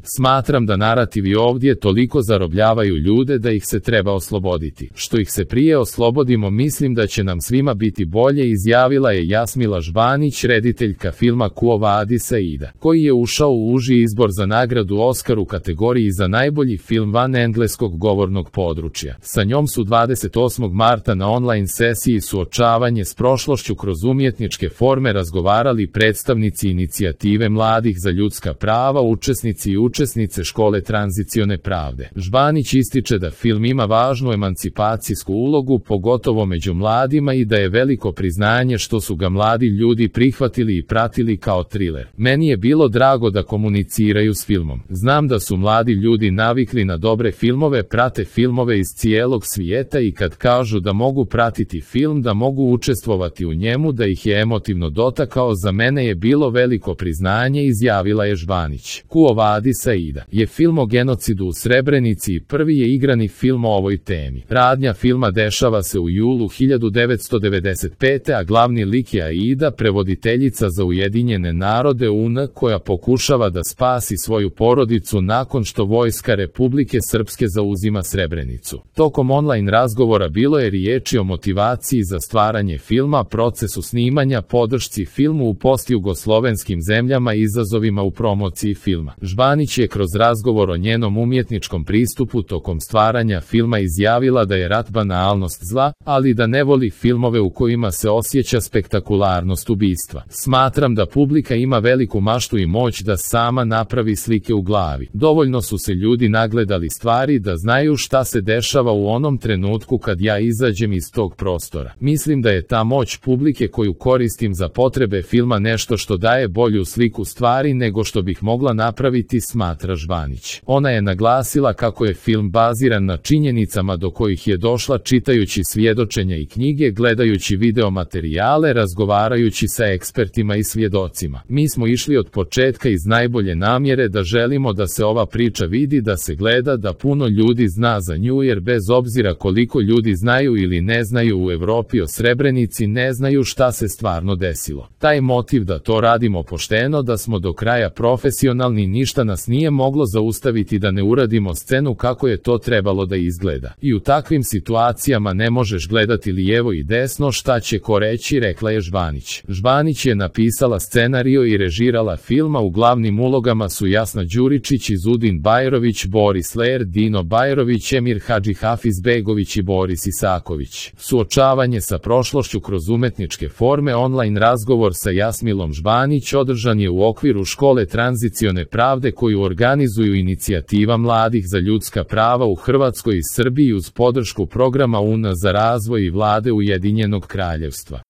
Smatram da narativi ovdje toliko zarobljavaju ljude da ih se treba osloboditi. Što ih se prije oslobodimo, mislim da će nam svima biti bolje, izjavila je Jasmila Žbanić, rediteljka filma Quo Vadis Aida, koji je ušao u uži izbor za nagradu Oskar u kategoriji za najbolji film van engleskog govornog područja. Sa njom su 28. marta na online sesiji Suočavanje s prošlošću kroz umjetničke forme razgovarali predstavnici inicijative mladih za ljudska prava, učesnici i učesnice škole tranzicione pravde. Žbanić ističe da film ima važnu emancipacijsku ulogu, pogotovo među mladima, i da je veliko priznanje što su ga mladi ljudi prihvatili i pratili kao triler. Meni je bilo drago da komuniciraju s filmom. Znam da su mladi ljudi navikli na dobre filmove, prate filmove iz cijelog svijeta i kad kažu da mogu pratiti film, da mogu učestvovati u njemu, da ih je emotivno dotakao, za mene je bilo veliko priznanje, izjavila je Žbanić. Quo Vadis Aida je film o genocidu u Srebrenici i prvi je igrani film o ovoj temi. Radnja filma dešava se u julu 1995. a glavni lik je Aida, prevoditeljica za Ujedinjene narode UN, koja pokušava da spasi svoju porodicu nakon što vojska Republike Srpske zauzima Srebrenicu. Tokom online razgovora bilo je riječi o motivaciji za stvaranje filma, procesu snimanja, podršci filmu u postjugoslovenskim zemljama i izazovima u promociji filma. Žbanić je kroz razgovor o njenom umjetničkom pristupu tokom stvaranja filma izjavila da je rat banalnost zla, ali da ne voli filmove u kojima se osjeća spektakularnost ubistva. Smatram da publika ima veliku maštu i moć da sama napravi slike u glavi. Dovoljno su se ljudi nagledali stvari da znaju šta se dešava u onom trenutku kad ja izađem iz tog prostora. Mislim da je ta moć publike koju koristim za potrebe filma nešto što daje bolju sliku stvari nego što bih mogla napraviti, smatra Žbanić. Ona je naglasila kako je film baziran na činjenicama do kojih je došla čitajući svjedočenja i knjige, gledajući video materijale, razgovarajući sa ekspertima i svjedocima. Mi smo išli od početka iz najbolje namjere da želimo da se ova priča vidi, da se gleda, da puno ljudi zna za nju, jer bez obzira koliko ljudi znaju ili ne znaju u Evropi o Srebrenici, ne znaju šta se stvarno desilo. Taj motiv da to radimo pošteno, da smo do kraja profesionalni, ništa nas nije moglo zaustaviti da ne uradimo scenu kako je to trebalo da izgleda. I u takvim situacijama ne možeš gledati lijevo i desno šta će ko reći, rekla je Žbanić. Žbanić je napisala scenario i režirala filma, u glavnim ulogama su Jasna Đuričić, Izudin Bajrović, Boris Ler, Dino Bajrović, Emir Hadžihafizbegović i Boris Isaković. Suočavanje sa prošlošću kroz umetničke forme, online razgovor sa Jasmilom Žbanić održan je u okviru škole tranzicione pravde koju organizuju inicijativa mladih za ljudska prava u Hrvatskoj i Srbiji uz podršku programa UN za razvoj i vlade Ujedinjenog kraljevstva.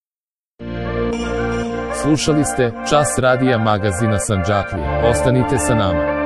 Slušali ste Čas radija magazina Sandžaklija. Ostanite sa nama.